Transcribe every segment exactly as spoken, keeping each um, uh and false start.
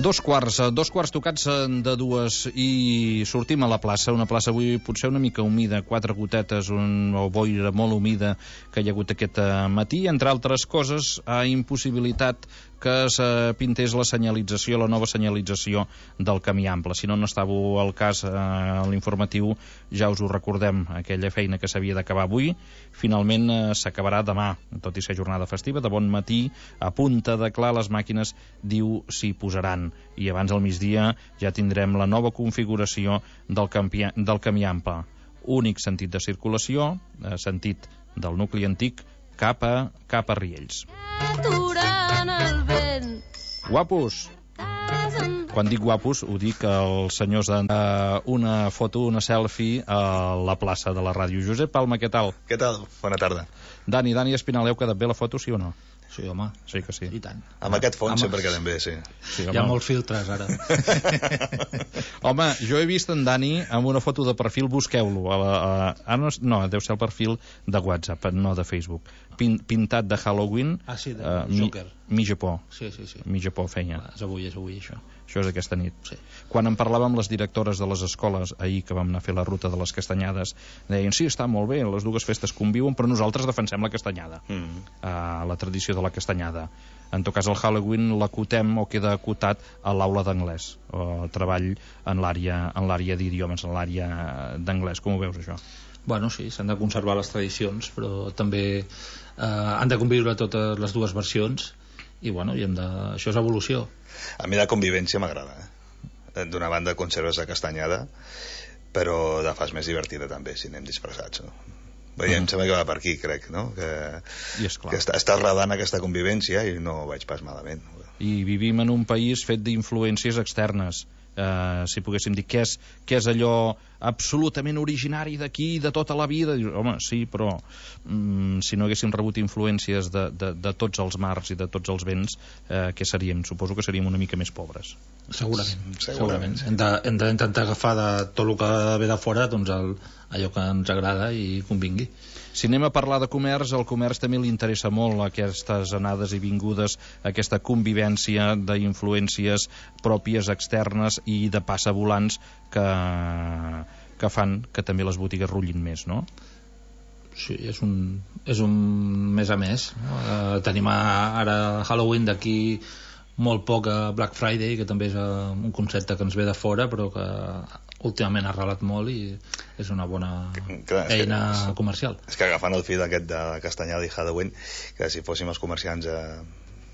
Dos quarts, dos quarts tocats de dues i sortim a la plaça, una plaça avui potser una mica humida, quatre gotetes, un, o boira molt humida que hi ha hagut aquest matí, entre altres coses ha impossibilitat que es pintés la senyalització, la nova senyalització del camí ample. Si no n'estàveu al cas eh, a l'informatiu, ja us ho recordem, aquella feina que s'havia d'acabar avui, finalment eh, s'acabarà demà, tot i ser jornada festiva, de bon matí, a punta de clar, les màquines, diu, s'hi posaran. I abans al migdia ja tindrem la nova configuració del, campi, del camí ample. Únic sentit de circulació, eh, sentit del nucli antic, cap a, cap a Riells. El vent. Guapos! Quan dic guapos, ho dic als senyors de uh, una foto, una selfie a la plaça de la ràdio. Josep Palma, què tal? Què tal? Bona tarda. Dani, Dani Espinal, heu quedat bé la foto, sí o no? Sí, home. Sí que sí. I tant. Amb ah, aquest fons home. Sempre quedem bé, sí. sí Hi ha molts filtres, ara. Home, jo he vist en Dani amb una foto de perfil, busqueu-lo. A la, a, a, no, no, deu ser el perfil de WhatsApp, no de Facebook. Pin, pintat de Halloween. Ah, sí, de uh, Joker. Mi, mi Japó. Sí, sí, sí. Mi Japó feia. Va, és avui, és avui, això. Això és aquesta nit. Sí. Quan en parlàvem amb les directores de les escoles ahir que vam anar a fer la ruta de les castanyades, deien, sí, està molt bé, les dues festes conviuen, però nosaltres defensem la castanyada, mm. uh, la tradició de la castanyada. En tot cas, el Halloween l'acotem o queda acotat a l'aula d'anglès, o treball en l'àrea en l'àrea d'idiomes, en l'àrea d'anglès. Com ho veus, això? Bueno, sí, s'han de conservar les tradicions, però també eh, han de conviure totes les dues versions, i bueno, i hem de... això és evolució. A mi la convivència m'agrada, eh? D'una banda conserves la castanyada, però la fas més divertida també si anem disfressats, no? Bé, mm. em sembla que va per aquí, crec, no? Que, I és clar. que està, està radant aquesta convivència i no ho veig pas malament. I vivim en un país fet d'influències externes. Uh, si poguéssim dir què és, què és allò absolutament originari d'aquí, de tota la vida, dius, home, sí, però um, si no haguéssim rebut influències de, de, de tots els mars i de tots els vents, uh, què seríem? Suposo que seríem una mica més pobres. Segurament, segurament. segurament. Hem, de, hem d'intentar agafar de tot el que ve de fora, doncs el, allò que ens agrada i convingui. Si anem a parlar de comerç, al comerç també li interessa molt aquestes anades i vingudes, aquesta convivència d'influències pròpies, externes i de passavolants que, que fan que també les botigues rutllin més, no? Sí, és un, és un més a més, no? Eh, tenim ara Halloween, d'aquí molt poc a Black Friday, que també és un concepte que ens ve de fora, però que últimament ha arrelat molt i és una bona Clar, és eina que, comercial. És que agafant el fil aquest de Castanyada i Halloween, que si fóssim els comerciants a...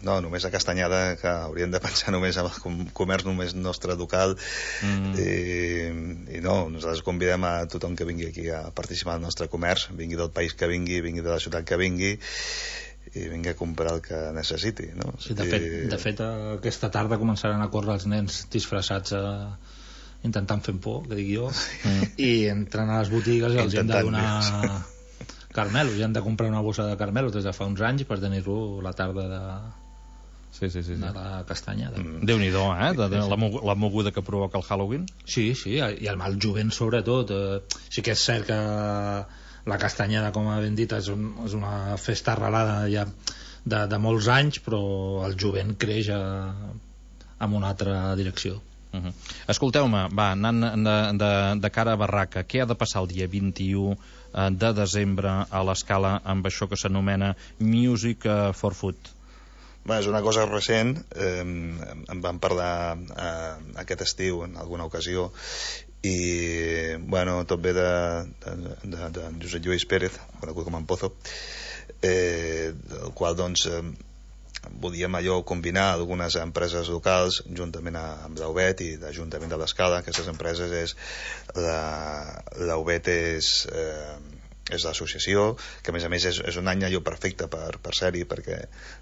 no, només a Castanyada, que hauríem de pensar només en el comerç només nostre local, mm. i, i no, nosaltres convidem a tothom que vingui aquí a participar al nostre comerç, vingui del país que vingui, vingui de la ciutat que vingui, i vingui a comprar el que necessiti, no? Sí, de, fet, I... de fet aquesta tarda començaran a córrer els nens disfressats a... intentant fer por, que dic jo, mm. i entren a les botigues i els hem de donar carmelos, i han de comprar una bossa de carmelos des de fa uns anys per tenir-lo la tarda de, sí, sí, sí, sí. de la castanyada. Mm. Déu-n'hi-do, eh? De, de, la, la moguda que provoca el Halloween. Sí, sí, i el mal jovent sobretot. Eh, sí que és cert que la castanyada, com ha ben dit, és, un, és una festa arrelada ja de, de molts anys, però el jovent creix a, en una altra direcció. Uh-huh. Escolteu-me, va, anant de, de, de cara a Barraca, què ha de passar el dia vint-i-u de desembre a l'Escala amb això que s'anomena Music for Food? Bé, és una cosa recent, eh, en vam parlar eh, aquest estiu en alguna ocasió, i bueno, tot ve de, de, de, de Josep Lluís Pérez, conegut com en Pozo, eh, el qual doncs eh, volíem allò combinar algunes empreses locals juntament amb l'Aubet i l'Ajuntament de l'Escala. Aquestes empreses és l'Aubet és eh, és l'associació, que a més a més és, és un any allò perfecte per, per ser-hi, perquè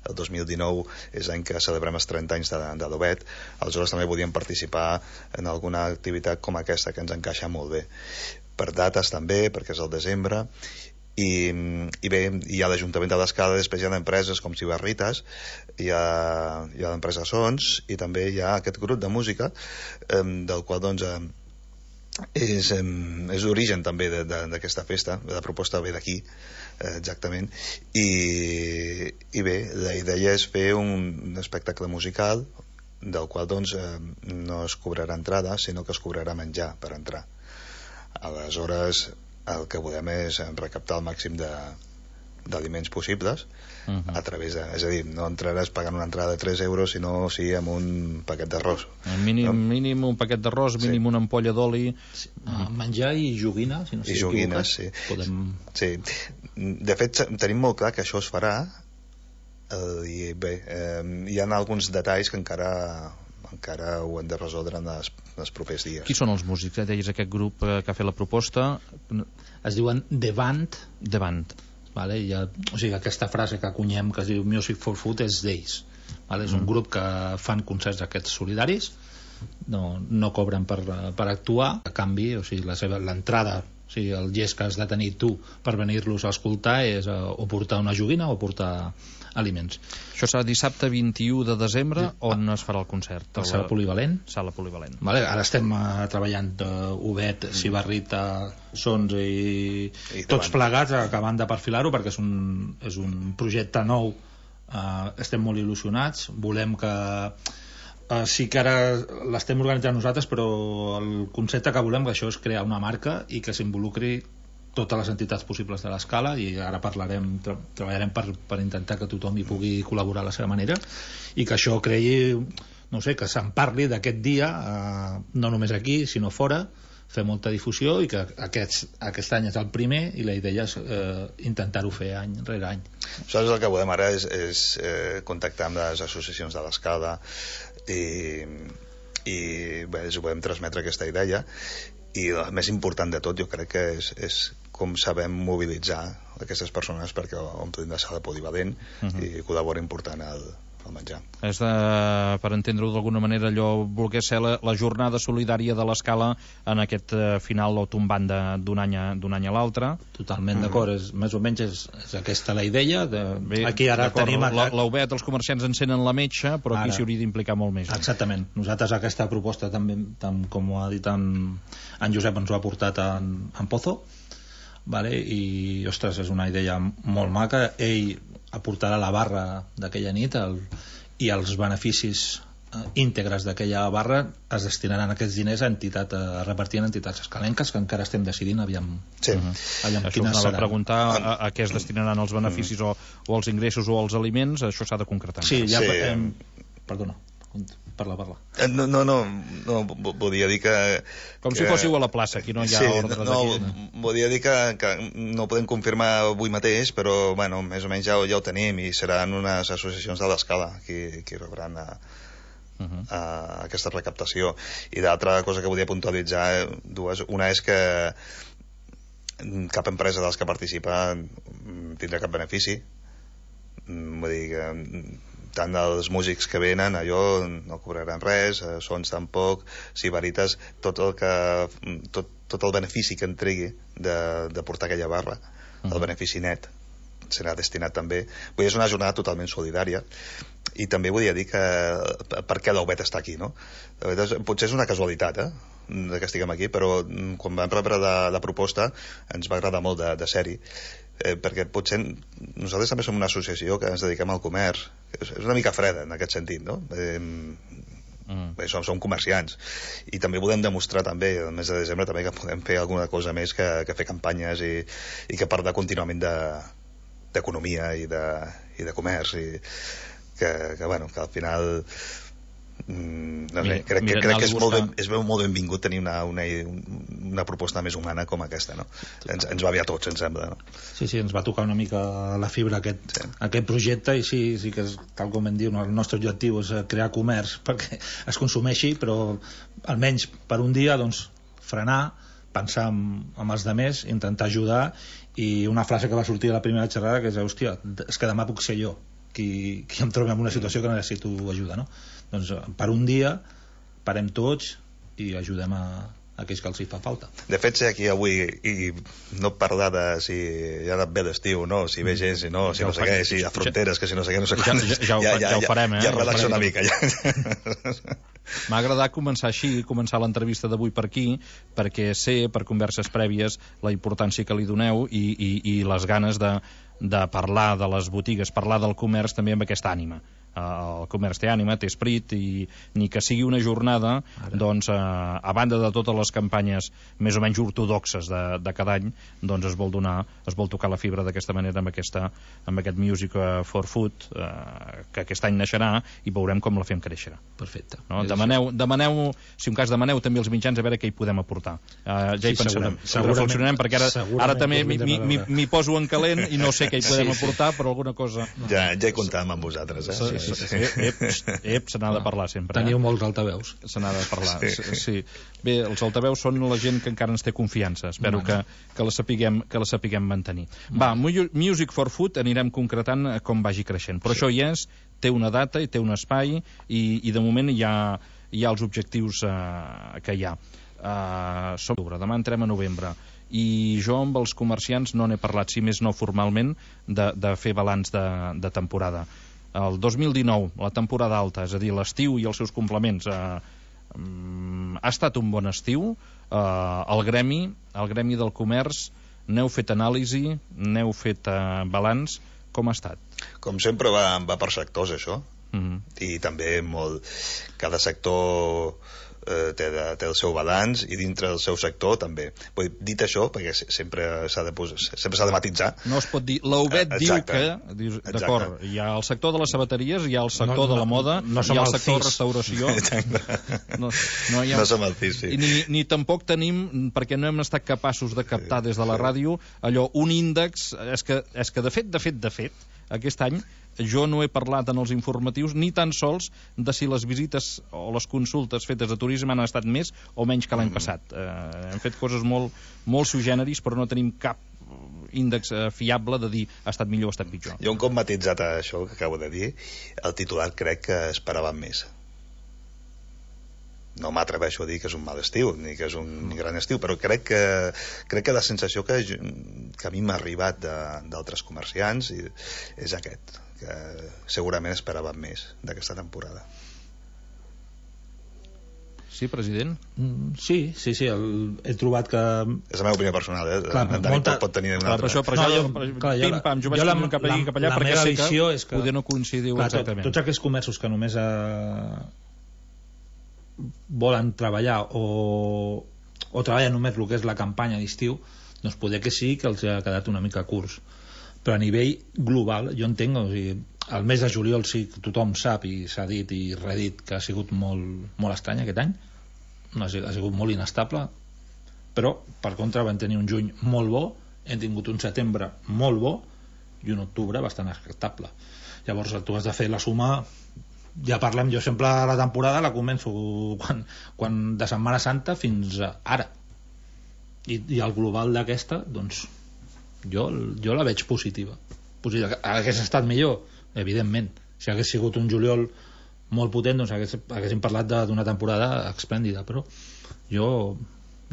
el dos mil dinou és l'any que celebrem els trenta anys de, de l'Aubet. Aleshores també podíem participar en alguna activitat com aquesta, que ens encaixa molt bé per dates també, perquè és el desembre. I, i bé, hi ha l'Ajuntament de l'Escala, després hi ha empreses com Ciberritas, hi ha, hi ha l'empresa Sons, i també hi ha aquest grup de música eh, del qual doncs eh, és, eh, és l'origen també d'aquesta festa. La proposta ve d'aquí, eh, exactament, i, i bé, la idea és fer un, un espectacle musical del qual doncs, eh, no es cobrarà entrada, sinó que es cobrarà menjar per entrar. Aleshores, el que volem és recaptar el màxim de d'aliments possibles uh -huh. a través de... És a dir, no entraràs pagant una entrada de tres euros, sinó sí amb un paquet d'arròs. Mínim, no? mínim un paquet d'arròs, mínim sí. una ampolla d'oli... Sí. Uh, menjar i joguina, si no I joguines, sí. Podem... sí. De fet, tenim molt clar que això es farà, eh, i bé, eh, hi ha alguns detalls que encara... encara ho hem de resoldre en els, en els propers dies. Qui són els músics? Eh? Deies aquest grup eh, que ha fet la proposta... Es diuen The Band. The Band. Vale? I, o sigui, aquesta frase que acunyem que es diu Music for Food és d'ells. Vale? És un grup que fan concerts aquests solidaris, no, no cobren per, per actuar, a canvi, o sigui, la seva, l'entrada, o sigui, el gest que has de tenir tu per venir-los a escoltar és uh, o portar una joguina o portar aliments. Això serà dissabte vint-i-u de desembre, sí. On es farà el concert? A la sala polivalent. Sala polivalent. Vale, ara estem uh, treballant uh, Obet, mm. Sibarrita, Sons i, I tots plegats acabant de perfilar-ho perquè és un, és un projecte nou. Uh, estem molt il·lusionats, volem que uh, sí que ara l'estem organitzant nosaltres, però el concepte que volem que això és crear una marca i que s'involucri totes les entitats possibles de l'escala, i ara parlarem, tra treballarem per, per intentar que tothom hi pugui col·laborar a la seva manera, i que això creï, no sé, que se'n parli d'aquest dia, eh, no només aquí sinó fora, fer molta difusió, i que aquest, aquest any és el primer i la idea és eh, intentar-ho fer any rere any. Nosaltres el que volem ara és, és eh, contactar amb les associacions de l'escala i, i bé, us volem transmetre aquesta idea, i el més important de tot jo crec que és, és com sabem mobilitzar aquestes persones perquè omplin la sala polivalent uh -huh. i col·laborin portant el, el menjar. És de, per entendre-ho d'alguna manera, allò volgués ser la, la jornada solidària de l'escala en aquest uh, final o tombant d'un any, any a l'altre. Totalment uh -huh. d'acord, és, més o menys és, és aquesta la idea de... Bé, aquí ara tenim... L'Obet, els comerciants encenen la metxa, però ara, aquí s'hi hauria d'implicar molt més. Exactament, nosaltres aquesta proposta també, tam, com ho ha dit en, en Josep, ens ho ha portat en, en Pozo, vale? I ostres, és una idea molt maca. Ell aportarà la barra d'aquella nit el, i els beneficis eh, íntegres d'aquella barra es destinaran aquests diners a entitat, a repartir en entitats escalenques, que encara estem decidint aviam, sí. aviam això quines serà. Serà. Preguntar a, a què es destinaran els beneficis o, o els ingressos o els aliments, això s'ha de concretar. Sí, ja, sí. Hem, perdona, parla, parla. No, no, no, no volia dir que... Com que... si fóssiu a la plaça, aquí no hi ha sí, ordres no, d'aquí. No, volia dir que, que no ho podem confirmar avui mateix, però bueno, més o menys ja, ja ho tenim, i seran unes associacions de l'escala qui, qui rebran a, uh -huh. a aquesta recaptació. I l'altra cosa que volia puntualitzar, dues, una és que cap empresa dels que participa tindrà cap benefici, vull dir que tant els músics que venen allò no cobraran res, Sons tampoc, Sibaritas, tot el que tot, tot el benefici que entregui de, de portar aquella barra, uh -huh. el benefici net serà destinat també. Vull dir, és una jornada totalment solidària, i també volia dir que per què l'Obet està aquí, no? Potser és una casualitat, eh? que estiguem aquí, però quan vam rebre la, la proposta ens va agradar molt de, de ser-hi, eh, perquè potser nosaltres també som una associació que ens dediquem al comerç, és, és una mica freda en aquest sentit, no? Eh, mm. bé, som, som comerciants, i també volem demostrar també el mes de desembre també que podem fer alguna cosa més que, que fer campanyes i, i que parlar contínuament d'economia de, i, de, i de comerç, i que, que, bueno, que al final no sé, mira, crec, mira, crec que és molt, ben, és molt benvingut tenir una, una, una proposta més humana com aquesta, no? Ens, ens va bé a tots, em sembla, no? Sí, sí, ens va tocar una mica la fibra aquest, sí. aquest projecte, i sí, sí que és, tal com hem dit, el nostre objectiu és crear comerç perquè es consumeixi, però almenys per un dia doncs frenar, pensar en, en els demés, intentar ajudar, i una frase que va sortir a la primera xerrada que és, hòstia, és que demà puc ser jo qui, qui em trobi en una situació que necessito ajuda, no? Doncs per un dia parem tots i ajudem a, a aquells que els hi fa falta. De fet, ser aquí avui i no parlar de si ja ha anat bé l'estiu, no? Si ve gent, si no, si ja no sé què, si hi ha fronteres, que si no sé què, no sé ja, ja, ja, ja, ja, ja ho farem, eh? Ja, ja relaxa una mica, ja. M'ha agradat començar així, començar l'entrevista d'avui per aquí, perquè sé, per converses prèvies, la importància que li doneu i, i, i les ganes de de parlar de les botigues, parlar del comerç també amb aquesta ànima. El comerç té ànima, té esperit, i ni que sigui una jornada, Ara. doncs eh, a banda de totes les campanyes més o menys ortodoxes de, de cada any, doncs es vol donar, es vol tocar la fibra d'aquesta manera amb, aquesta, amb aquest Music for Food, eh, que aquest any naixerà, i veurem com la fem créixer. Perfecte. No? Demaneu, demaneu, si un cas demaneu també als mitjans a veure què hi podem aportar. Eh, ja hi sí, pensarem, reflexionarem, perquè ara, ara també m'hi poso en calent i no sé què hi podem sí, sí. aportar, però alguna cosa... Ja, ja hi comptàvem amb vosaltres, eh? Sí, sí, sí. Ep, ep, se n'ha de parlar sempre. Teniu eh? molts altaveus. Se n'ha de parlar, sí. sí. Bé, els altaveus són la gent que encara ens té confiança. Espero que, que, la sapiguem, que la sapiguem mantenir. Va, Music for Food anirem concretant com vagi creixent. Però sí. això hi és, té una data i té un espai, i, i de moment hi ha, hi ha els objectius eh, que hi ha. Uh, som d'octubre, demà entrem a novembre, i jo amb els comerciants no n'he parlat, si més no formalment, de, de fer balanç de, de temporada. El dos mil dinou, la temporada alta, és a dir, l'estiu i els seus complements, eh, ha estat un bon estiu. Eh, el gremi, el gremi del comerç, n'heu fet anàlisi, n'heu fet eh, balanç, com ha estat? Com sempre va, va per sectors, això. Mm-hmm. I també molt... Cada sector... Eh, té, de, té el seu balanç, i dintre del seu sector també. Vull, dit això, perquè sempre s'ha de, sempre s'ha de matitzar, no es pot dir, l'Obet diu que dius, d'acord, hi ha el sector de les sabateries, hi ha el sector no, no, de la moda, no hi ha el sector de restauració, no, no, hi ha... no som el C I S, sí. ni, ni tampoc tenim, perquè no hem estat capaços de captar des de la ràdio allò, un índex, és que, és que de fet, de fet, de fet, aquest any jo no he parlat en els informatius ni tan sols de si les visites o les consultes fetes de turisme han estat més o menys que l'any passat. Eh, hem fet coses molt, molt suggeneris, però no tenim cap índex eh, fiable de dir ha estat millor o ha estat pitjor. Jo un cop matitzat això que acabo de dir, el titular crec que esperàvem més. No m'atreveixo a dir que és un mal estiu, ni que és un gran estiu, però crec que, crec que la sensació que, que a mi m'ha arribat d'altres comerciants és aquest, que segurament esperàvem més d'aquesta temporada. Sí, president? Mm, sí, sí, sí, el, he trobat que... És la meva opinió personal, eh? Clar, en Dani molta... pot, pot tenir una altra. Per això, per no, això, jo, per, clar, jo, pim, pam, jo vaig tenir cap allà, cap allà, perquè sé que, és que poder no coincidiu clar, exactament. Tots aquests comerços que només eh, volen treballar o, o treballen només el que és la campanya d'estiu, doncs poder que sí que els ha quedat una mica curts. Però a nivell global, jo entenc, o sigui, el mes de juliol sí que tothom sap i s'ha dit i redit que ha sigut molt, molt estrany aquest any, ha sigut molt inestable, però per contra vam tenir un juny molt bo, hem tingut un setembre molt bo i un octubre bastant acceptable. Llavors tu has de fer la suma. Ja parlem, jo sempre la temporada la començo quan, quan de Setmana Santa fins ara, i, i el global d'aquesta doncs jo, jo la veig positiva. positiva hagués estat millor, evidentment, si hagués sigut un juliol molt potent, doncs hagués, haguéssim parlat d'una temporada esplèndida, però jo,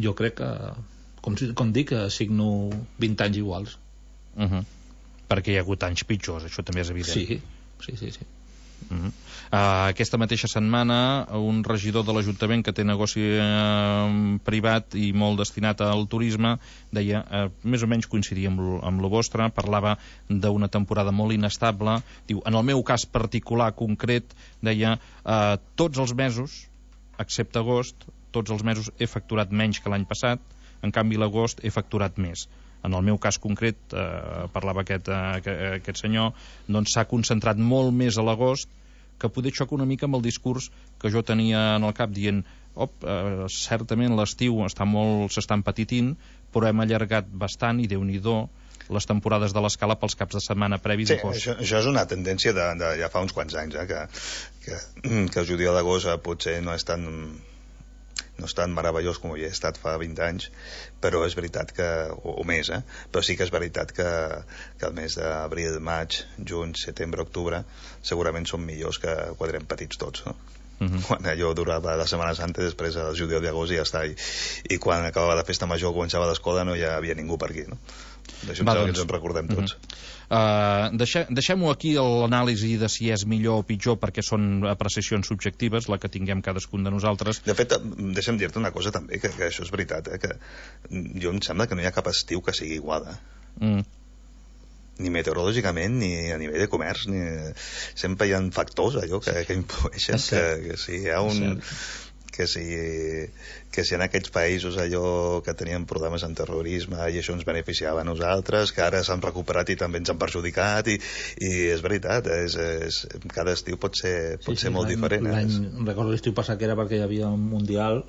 jo crec que com, com dic, signo vint anys iguals. Uh-huh. Perquè hi ha hagut anys pitjors, això també és evident. Sí, sí, sí, sí. Uh-huh. Uh, aquesta mateixa setmana un regidor de l'Ajuntament que té negoci uh, privat i molt destinat al turisme deia, uh, més o menys coincidia amb, lo, amb lo vostre, parlava d'una temporada molt inestable, diu, en el meu cas particular concret, deia, uh, tots els mesos excepte agost, tots els mesos he facturat menys que l'any passat, en canvi l'agost he facturat més. En el meu cas concret, eh, parlava aquest, eh, aquest senyor, doncs s'ha concentrat molt més a l'agost, que poder xoca una mica amb el discurs que jo tenia en el cap dient, op, eh, certament l'estiu està molt, s'està empetitint, però hem allargat bastant i Déu-n'hi-do les temporades de l'escala pels caps de setmana previs. Sí, això, això és una tendència de, de ja fa uns quants anys, eh, que, que, que el juliol d'agost eh, potser no és tan... no és tan meravellós com havia estat fa vint anys, però és veritat que, o, o més, eh? però sí que és veritat que, que el mes d'abril, maig, juny, setembre, octubre segurament són millors que quan érem petits tots, no? Uh-huh. Quan allò durava la Setmana Santa, després el juliol d'agost i ja està, i, i quan acabava la festa major, començava l'escola, no hi havia ningú per aquí, no? D'això doncs, ens en recordem tots. Uh-huh. Uh, deixe, deixem-ho aquí l'anàlisi de si és millor o pitjor, perquè són apreciacions subjectives, la que tinguem cadascun de nosaltres. De fet, deixa'm dir-te una cosa també, que, que això és veritat, eh, que jo em sembla que no hi ha cap estiu que sigui igual, eh? Mm. ni meteorològicament ni a nivell de comerç, ni... sempre hi ha factors allò que, que influeixen, que, que si hi ha un... que si, que si en aquests països allò que tenien problemes en terrorisme i això ens beneficiava a nosaltres, que ara s'han recuperat i també ens han perjudicat, i, i és veritat, és, és, cada estiu pot ser, pot sí, ser sí, molt diferent. L'any, recordo l'estiu passat que era perquè hi havia un mundial,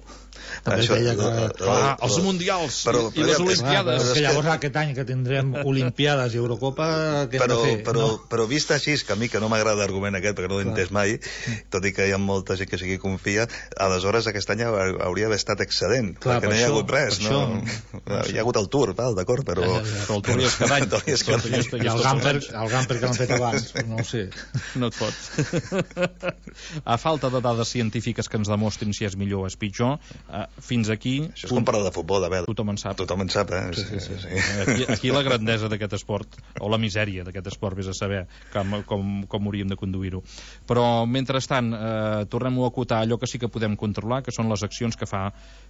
també això, deia que... Clar, els mundials però, i, i les olimpiades. Clar, que llavors aquest any que tindrem olimpiades i Eurocopa, què hem però, de fer? Però, no? però vist així, que a mi que no m'agrada l'argument aquest, perquè no l'he entès mai, tot i que hi ha molta gent que sigui confia, aleshores aquest any hauria d'haver estat excedent, clar, perquè no hi ha hagut res, no? no hi ha hagut el Tour, val, d'acord, però... Ja, ja, ja. Però el Tour hi és cada any. I el Gamper, el Gamper que l'han fet abans, no ho sé. No et fots. A falta de dades científiques que ens demostrin si és millor o és pitjor, fins aquí... Això és com parlar de futbol, a veure. Tothom en sap. Tothom en sap, eh? Sí, sí, sí. sí. Aquí, aquí la grandesa d'aquest esport, o la misèria d'aquest esport, vés a saber com, com, com hauríem de conduir-ho. Però, mentrestant, eh, tornem-ho a acotar allò que sí que podem controlar, que són les accions que fa,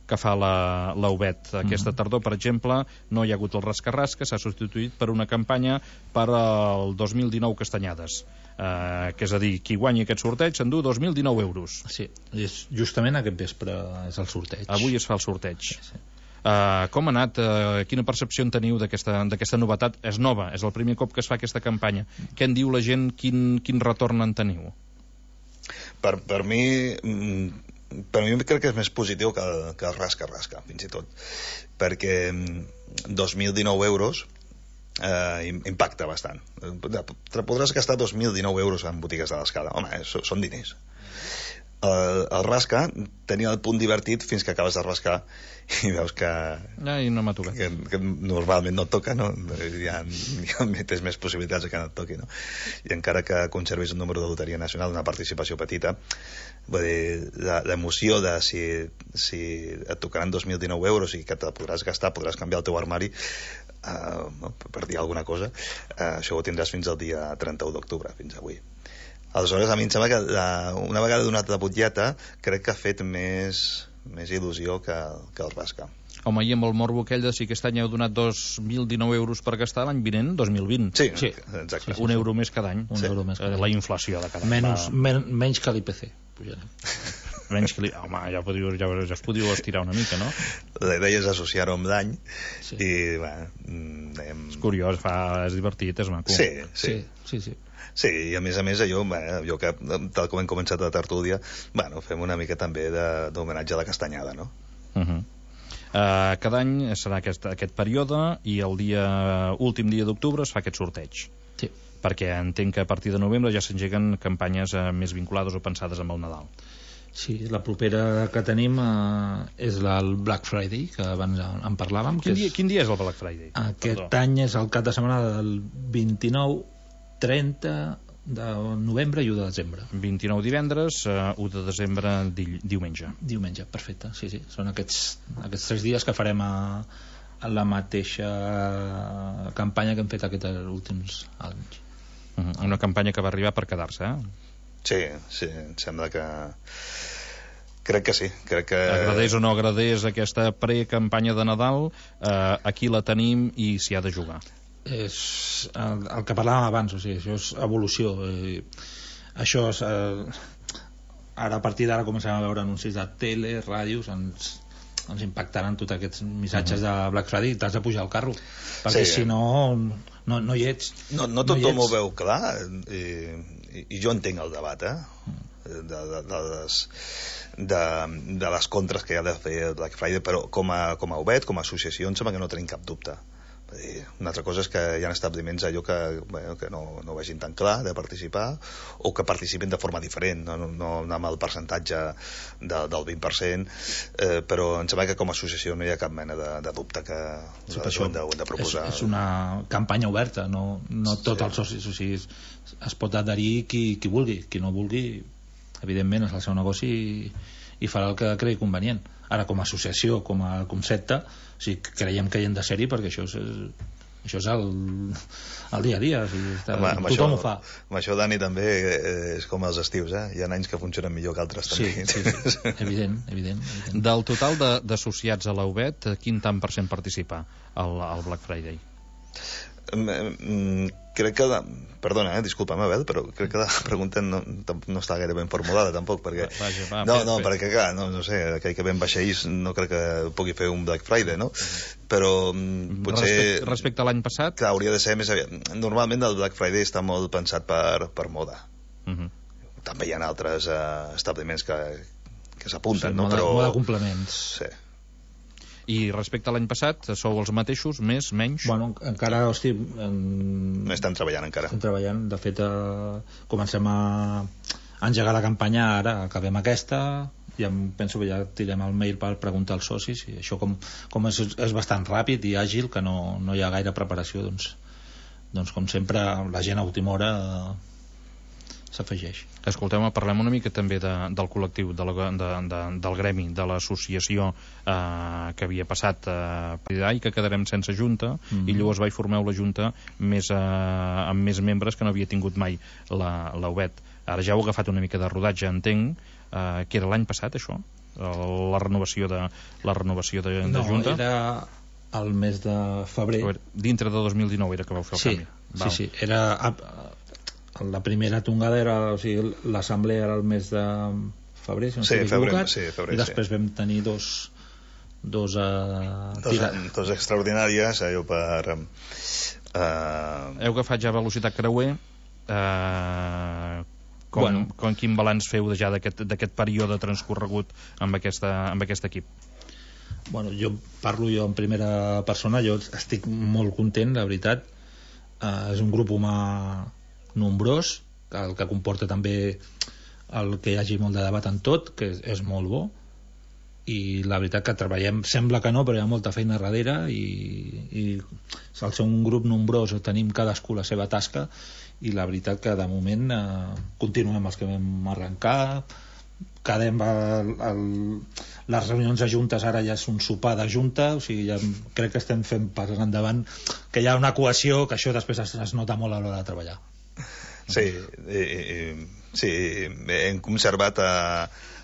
que fa la, la U B E T. Aquesta tardor, per exemple, no hi ha hagut el rasca-rasca, s'ha substituït per una campanya per al dos mil dinou Castanyades. Eh, que és a dir, qui guanyi aquest sorteig s'endú dos mil dinou euros. Sí, és justament aquest vespre és el sorteig. Avui es fa el sorteig. Sí, sí. Uh, com ha anat? Uh, quina percepció en teniu d'aquesta novetat? És nova, és el primer cop que es fa aquesta campanya. Què en diu la gent? Quin, quin retorn en teniu? Per, per mi... per mi crec que és més positiu que el, que el rasca-rasca, fins i tot, perquè dos mil dinou euros eh, impacta bastant. Podràs gastar dos mil dinou euros en botigues de l'escala. Home, eh, són diners. El, el rasca tenia el punt divertit fins que acabes de rascar i veus que, Ai, no m'ha tocat. que, que normalment no et toca, no? Hi ha, hi ha, tens més possibilitats que no et toqui, no? I encara que conservis un número de loteria nacional, una participació petita, vull dir, l'emoció de si, si et tocaran dos mil dinou euros i que te podràs gastar, podràs canviar el teu armari, uh, per dir alguna cosa, uh, això ho tindràs fins al dia trenta-u d'octubre, fins avui. Aleshores, a mi em sembla que la, una vegada donat la butlleta, crec que ha fet més, més il·lusió que, que el rasca. Home, i amb el morbo aquell de si aquest any heu donat dos mil dinou euros per gastar, l'any vinent, dos mil vint. Sí, sí. exacte. Sí, sí, un euro més cada any. Un sí. euro més cada any. La inflació de cada any. Menys, men, menys que l'I P C. Menys que l'I P C. Home, ja, podíeu, ja, ja es podíeu estirar una mica, no? La idea és associar-ho amb l'any, sí. i, bueno... Anem... És curiós, fa, és divertit, és maco. Sí, sí. sí, sí, sí. Sí, i a més a més allò, bé, allò que, tal com hem començat la tertúlia, bueno, fem una mica també d'homenatge a la castanyada, no? Uh -huh. uh, cada any serà aquest, aquest període i el dia últim dia d'octubre es fa aquest sorteig. Sí. Perquè entenc que a partir de novembre ja s'engeguen campanyes uh, més vinculades o pensades amb el Nadal. Sí, la propera que tenim eh, és el Black Friday, que abans en parlàvem. Quin, que dia, és... quin dia és el Black Friday? Aquest Perdó. any és el cap de setmana del vint-i-nou, trenta de novembre i u de desembre. vint-i-nou divendres, uh, u de desembre di diumenge. Diumenge, perfecte, sí, sí. Són aquests, aquests tres dies que farem a, a la mateixa campanya que hem fet aquests últims anys. Uh -huh. Una campanya que va arribar per quedar-se, eh? Sí, sí, em sembla que... Crec que sí, crec que... Agradés o no agradés aquesta precampanya de Nadal, eh, aquí la tenim i s'hi ha de jugar. És el, el que parlàvem abans, o sigui, això és evolució. Eh, això és... Eh, ara, a partir d'ara, comencem a veure anuncis de tele, ràdios, ens, ens impactaran tots aquests missatges uh -huh. de Black Friday i t'has de pujar al carro, perquè sí, si no, no, no hi ets. No, no tothom no ho veu clar, i, i, i jo entenc el debat, eh? De, de, de, les, de, de les contres que hi ha de fer el Black Friday, però com a, com a U B E T, com a associació, em sembla que no tenim cap dubte. Una altra cosa és que hi ha establiments allò que, bueno, que no, no vegin tan clar de participar, o que participin de forma diferent, no, no, no amb el percentatge de, del vint per cent, eh, però em sembla que com a associació no hi ha cap mena de, de dubte que sí, ho hem de, ho hem de proposar. És, és una campanya oberta, no, no tots sí. els socis, o sigui, es, es pot adherir qui, qui vulgui, qui no vulgui evidentment és el seu negoci i, i farà el que cregui convenient. Ara, com a associació, com a concepte, o sigui, creiem que hi hem de ser-hi perquè això és, això és el, el dia a dia, o sigui, està, Home, tothom això, ho fa. Amb això, Dani, també és com els estius, eh? Hi ha anys que funcionen millor que altres, també. Sí, sí, sí. evident, evident, evident. Del total d'associats a la U B E T, quin tant per cent participa al, al Black Friday? Mm, crec que la... perdona, eh, disculpa'm, Abel, però crec que la pregunta no, no està gaire ben formulada tampoc, perquè Vaja, va, no, fer, no, fer. perquè clar, no, no sé, aquell que ven vaixells no crec que pugui fer un Black Friday, no? Però mm, potser respecte, respecte a l'any passat, clar, hauria de ser més aviat. Normalment el Black Friday està molt pensat per, per moda. uh -huh. També hi ha altres uh, establiments que, que s'apunten, no? Moda, Però moda complements. sí. I respecte a l'any passat, sou els mateixos, més, menys? Bueno, encara, hosti, en... No estan treballant encara. estem treballant, de fet eh, comencem a engegar la campanya ara, acabem aquesta, ja em penso que ja tirem el mail per preguntar als socis, i això com, com és, és bastant ràpid i àgil, que no, no hi ha gaire preparació, doncs, doncs com sempre la gent a última hora eh, s'afegeix. Escolteu-me, parlem una mica també de, del col·lectiu, de la, de, de, del gremi, de l'associació eh, que havia passat eh, i que quedarem sense junta, mm-hmm. i llavors vaig formeu la junta més, eh, amb més membres que no havia tingut mai la, la U B E T. Ara ja heu agafat una mica de rodatge, entenc, eh, que era l'any passat, això? La renovació de, la renovació de, de no, junta? No, era el mes de febrer. Veure, dintre de dos mil dinou era que vau fer el sí, canvi. Val. Sí, sí, era... La primera tongada era, o sigui, l'assemblea era el mes de febrer, si no sí, estic febrer, equivocat, sí, febrer, i després sí. vam tenir dos dos, uh, dos, tira... dos extraordinàries, allò per uh... heu agafat ja velocitat creuer, eh, com, bueno. com quin balanç feu ja d'aquest període transcorregut amb, aquesta, amb aquest equip? Bueno, jo parlo jo en primera persona, jo estic molt content, la veritat. Uh, és un grup humà nombrós, el que comporta també el que hi hagi molt de debat en tot, que és, és molt bo, i la veritat que treballem, sembla que no, però hi ha molta feina darrere, i, i al ser un grup nombrós tenim cadascú la seva tasca, i la veritat que de moment eh, continuem els que vam arrencar, quedem el, el, les reunions de juntes ara ja és un sopar de junta, o sigui, ja crec que estem fent pas endavant, que hi ha una cohesió, que això després es, es nota molt a l'hora de treballar. Sí, i, i, sí, hem conservat a,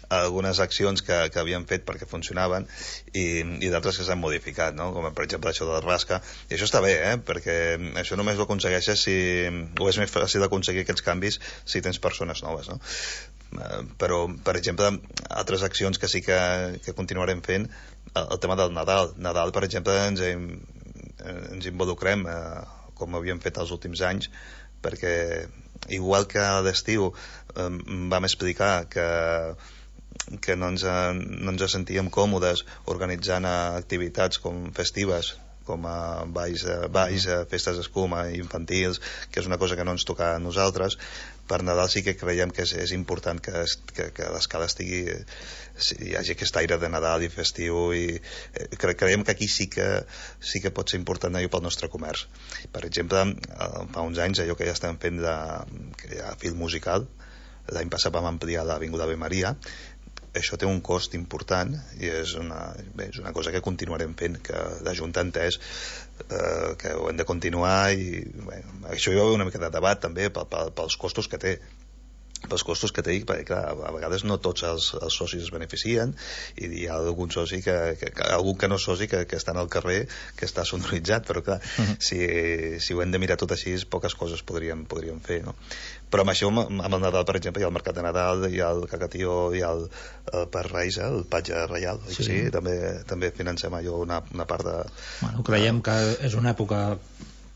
a algunes accions que, que havíem fet perquè funcionaven, i, i d'altres que s'han modificat, no? Com per exemple això de la rasca, i això està bé, eh? Perquè això només ho aconsegueixes si, o és més fàcil aconseguir aquests canvis si tens persones noves, no? Però, per exemple, altres accions que sí que, que continuarem fent, el, el tema del Nadal. Nadal, per exemple, ens, ens involucrem eh, com havíem fet els últims anys, perquè igual que a l'estiu eh, vam explicar que que no ens, no ens sentíem còmodes organitzant activitats com festives, com a balls, balls, festes d'escuma infantils, que és una cosa que no ens toca a nosaltres. Per Nadal sí que creiem que és, és important que, que, que l'escala estigui, hi hagi aquest aire de Nadal i festiu, i eh, creiem que aquí sí que sí que pot ser important allò pel nostre comerç. Per exemple, fa uns anys allò que ja estem fent de, que hi ha fil musical, l'any passat vam ampliar l'Avinguda Ave Maria. Això té un cost important i és una, bé, és una cosa que continuarem fent, que la Junta ha entès eh, que ho hem de continuar, i bé, això hi va haver una mica de debat també pel, pel, pels costos que té pels costos que té, perquè clar, a vegades no tots els, els socis es beneficien, i hi ha algun soci que, que, que algun que no és soci que, que està al carrer, que està sonoritzat, però clar, uh-huh. si, si ho hem de mirar tot així, poques coses podríem, podríem fer, no? Però amb això, amb el Nadal, per exemple, hi ha el Mercat de Nadal, hi ha el Cacatió, hi ha el, el Per Reis, el Patge Reial, sí. Sí, també, també financem allò una, una part de... Bueno, creiem que és una època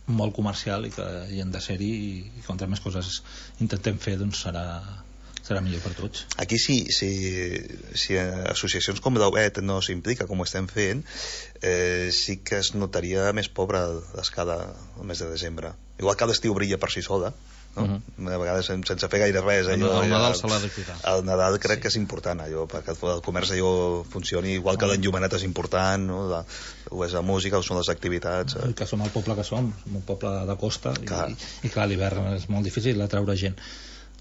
molt comercial i que hi han de ser-hi, i contra més coses intentem fer, doncs serà, serà millor per tots. Aquí sí, si, si associacions com l'U B E T no s'implica com ho estem fent, eh, sí que es notaria més pobra l'escala el mes de desembre. Igual que l'estiu brilla per si sola, no? Uh-huh. A vegades sense fer gaire res, allò, el, el Nadal se l'ha de cuidar. El Nadal crec sí. que és important, allò, perquè el comerç allò funcioni, igual que l'enllumenat és important, no? La, ho és la música, ho són les activitats, eh? Que som el poble que som, som un poble de costa, clar. I, i clar, l'hivern és molt difícil atraure gent.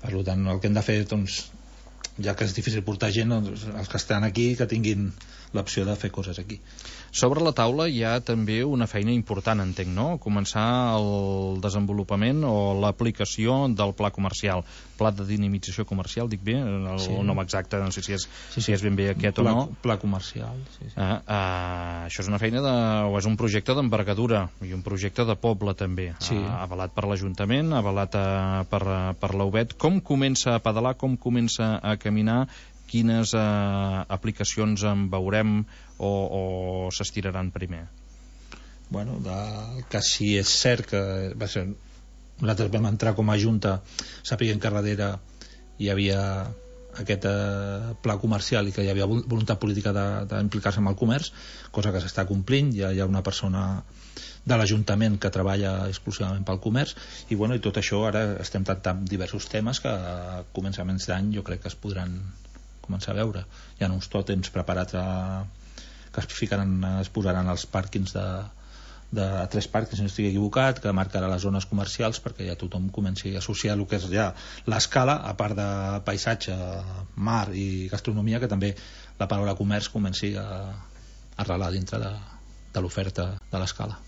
Per tant, el que hem de fer, doncs, ja que és difícil portar gent, doncs, els que estan aquí que tinguin l'opció de fer coses aquí. Sobre la taula hi ha també una feina important, entenc, no? Començar el desenvolupament o l'aplicació del pla comercial. Pla de dinamització comercial, dic bé? El sí. nom exacte, no sé si és, sí, sí. si és ben bé aquest pla, o no. Pla comercial, sí, sí. Ah, ah, això és una feina de, o és un projecte d'envergadura i un projecte de poble també, sí. ah, avalat per l'Ajuntament, avalat ah, per, per l'U B E T. Com comença a pedalar, com comença a caminar, quines eh, aplicacions en veurem o, o s'estiraran primer? Bueno, de, que si és cert que va ser, nosaltres vam entrar com a Junta sapiguem que darrere hi havia aquest eh, pla comercial i que hi havia voluntat política d'implicar-se amb el comerç, cosa que s'està complint. Ja hi ha una persona de l'Ajuntament que treballa exclusivament pel comerç i, bueno, i tot això ara estem tractant diversos temes que a començaments d'any jo crec que es podran començar a veure. Hi ha uns tòtems preparats a, que es ficaran, es posaran als pàrquings de, de a tres pàrquings, si no estic equivocat, que marcarà les zones comercials perquè ja tothom comenci a associar el que és ja l'escala, a part de paisatge, mar i gastronomia, que també la paraula comerç comenci a, a arrelar dintre de, de l'oferta de l'escala.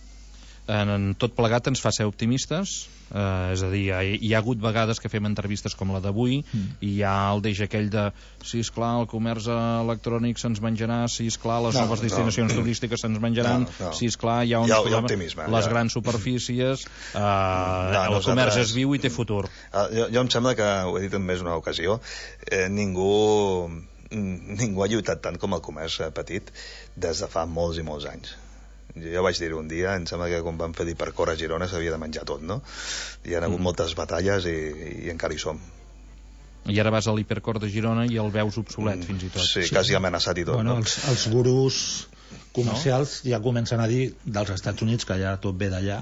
En, en tot plegat ens fa ser optimistes, eh, és a dir, hi, hi ha hagut vegades que fem entrevistes com la d'avui mm. i hi ha el deix aquell de si esclar el comerç electrònic se'ns menjarà, si esclar les no, noves destinacions no. turístiques se'ns menjaran, no, no. si esclar hi ha, uns hi ha, hi ha optimisme, les ja. grans superfícies, eh, no, el nosaltres... comerç és viu i té futur. Jo, jo em sembla que, ho he dit en més una ocasió, eh, ningú ningú ha lluitat tant com el comerç petit des de fa molts i molts anys. Jo vaig dir un dia, em sembla que quan vam fer l'Hipercor a Girona s'havia de menjar tot, no? Hi ha hagut mm. moltes batalles i, i encara hi som. I ara vas a l'Hipercor de Girona i el veus obsolet, mm, fins i tot. Sí, sí, quasi amenaçat i tot. Bueno, no? els, els gurus comercials no? ja comencen a dir, dels Estats Units, que ja tot ve d'allà,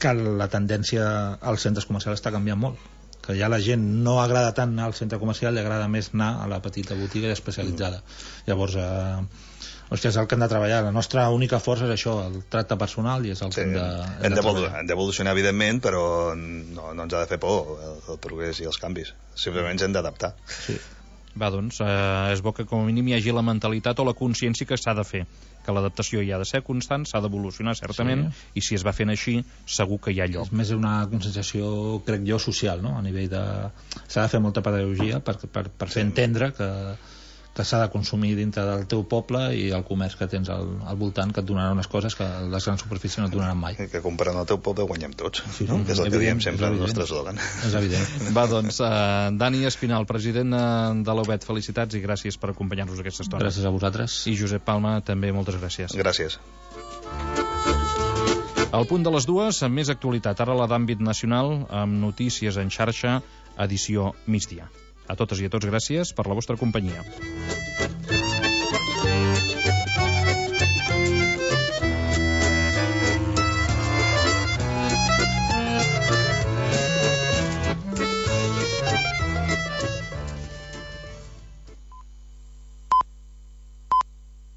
que la tendència als centres comercials està canviant molt. Que ja la gent no agrada tant anar al centre comercial, li agrada més anar a la petita botiga especialitzada. Mm. Llavors... Eh, Hòstia, és el que hem de treballar. La nostra única força és això, el tracte personal, i és el sí, que hem de, hem de treballar. Hem d'evolucionar, evidentment, però no, no ens ha de fer por el, el progrés i els canvis. Simplement ens hem d'adaptar. Sí. Va, doncs, eh, és bo que com a mínim hi hagi la mentalitat o la consciència que s'ha de fer, que l'adaptació hi ha de ser constant, s'ha d'evolucionar certament, sí. i si es va fent així, segur que hi ha lloc. És més una conscienciació, crec jo, social, no? A nivell de... S'ha de fer molta pedagogia per, per, per fer sí. entendre que que s'ha de consumir dintre del teu poble i el comerç que tens al, al voltant, que et donarà unes coses que les grans superfícies no et donaran mai. Que comprant el teu poble guanyem tots, sí, no? Que és el evident, que diem sempre el nostre eslògan. És evident. Va, doncs, uh, Dani Espinal, president de l'U B E T, felicitats i gràcies per acompanyar-nos aquesta estona. Gràcies a vosaltres. I Josep Palma, també moltes gràcies. Gràcies. Al punt de les dues, amb més actualitat, ara la d'àmbit nacional, amb notícies en xarxa, edició migdia. A totes i a tots gràcies per la vostra companyia.